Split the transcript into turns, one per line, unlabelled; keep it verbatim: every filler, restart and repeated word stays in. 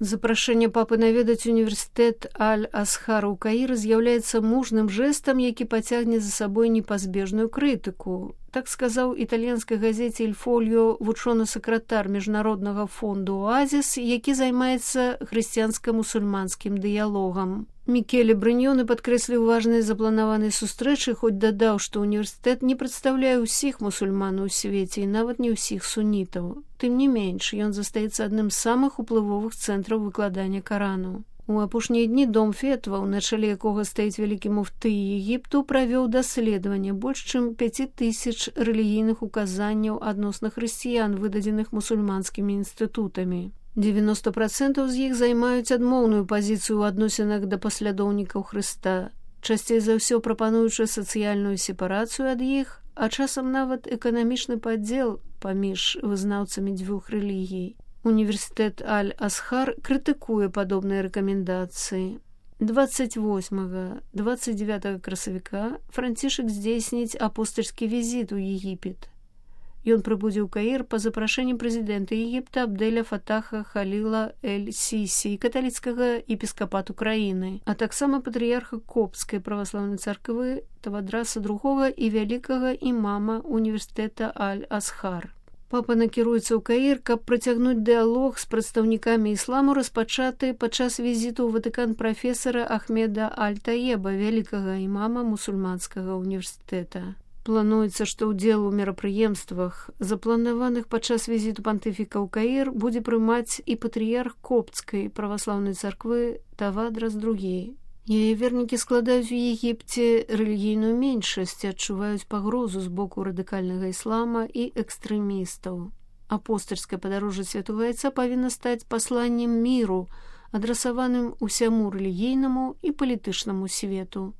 Запрашэнне папы наведаць універсітэт Аль-Асхара ў Каіры з'яўляецца мужным жэстам, які пацягне за сабой непазбежную крытыку. Так сказаў італьянскай газеце «Иль Фольо» вучоны-сакратар міжнароднага фонду «Оазіс», які займаецца хрысціянска-мусульманскім дыялогам. Мікеле Брыньёны падкрэсліў важнасць запланаванай сустрэчы, хоць дадаў, што універсітэт не прадстаўляе ўсіх мусульман у свеце і нават не ўсіх сунітаў. Тым не менш, ён застаецца адным з самых уплывовых цэнтраў выкладання Карану. У апошнія дні дом фетваў, на чале якога стаіць вялікі муфты Егіпту, правёў даследаванне больш чым пяць тысяч рэлігійных указанняў адносна хрысціян, выдадзеных мусульманскімі інстытутамі. дзевяносто процентаў з іх займаюць адмоўную пазіцыю ў адносінах да паслядоўнікаў Хрыста, часцей за ўсё прапануючы сацыяльную сепарацыю ад іх, а часам нават эканамічны падзел паміж вызнаўцамі дзвюх рэлігій. Універсітэт Аль-Асхар крытыкуе падобныя рэкамендацыі. двадцать восьмага — двадцать девятага красавіка Францішак здзейсніць апостальскі візіт у Егіпет. Ён прыбудзе ў Каір па запрашэнні прэзідэнта Егіпта Абдэля Фатаха Халіла эль-Сісі, каталіцкага епіскапату краіны, а таксама патрыярха Коптскай праваслаўнай царквы Тавадраса другога і вялікага імама універсітэта Аль-Асхар. Папа накіруецца ў Каір, каб працягнуць дыялог з прадстаўнікамі ісламу, распачаты падчас візіту ў Ватыкан прафесара Ахмеда Аль-Таеба, вялікага імама мусульманскага універсітэта. Плануецца, што ўдзел у мерапрыемствах, запланаваных падчас візіту пантыфіка ў Каір, будзе прымаць і патрыярх Коптскай праваслаўнай царквы Тавадрас другі. Яе вернікі складаюць у Егіпце рэлігійную меншасць і адчуваюць пагрозу з боку радыкальнага іслама і экстрэмістаў. Апостальскае падарожжа святога Айца павінна стаць пасланнем міру, адрасаваным усяму рэлігійнаму і палітычнаму свету.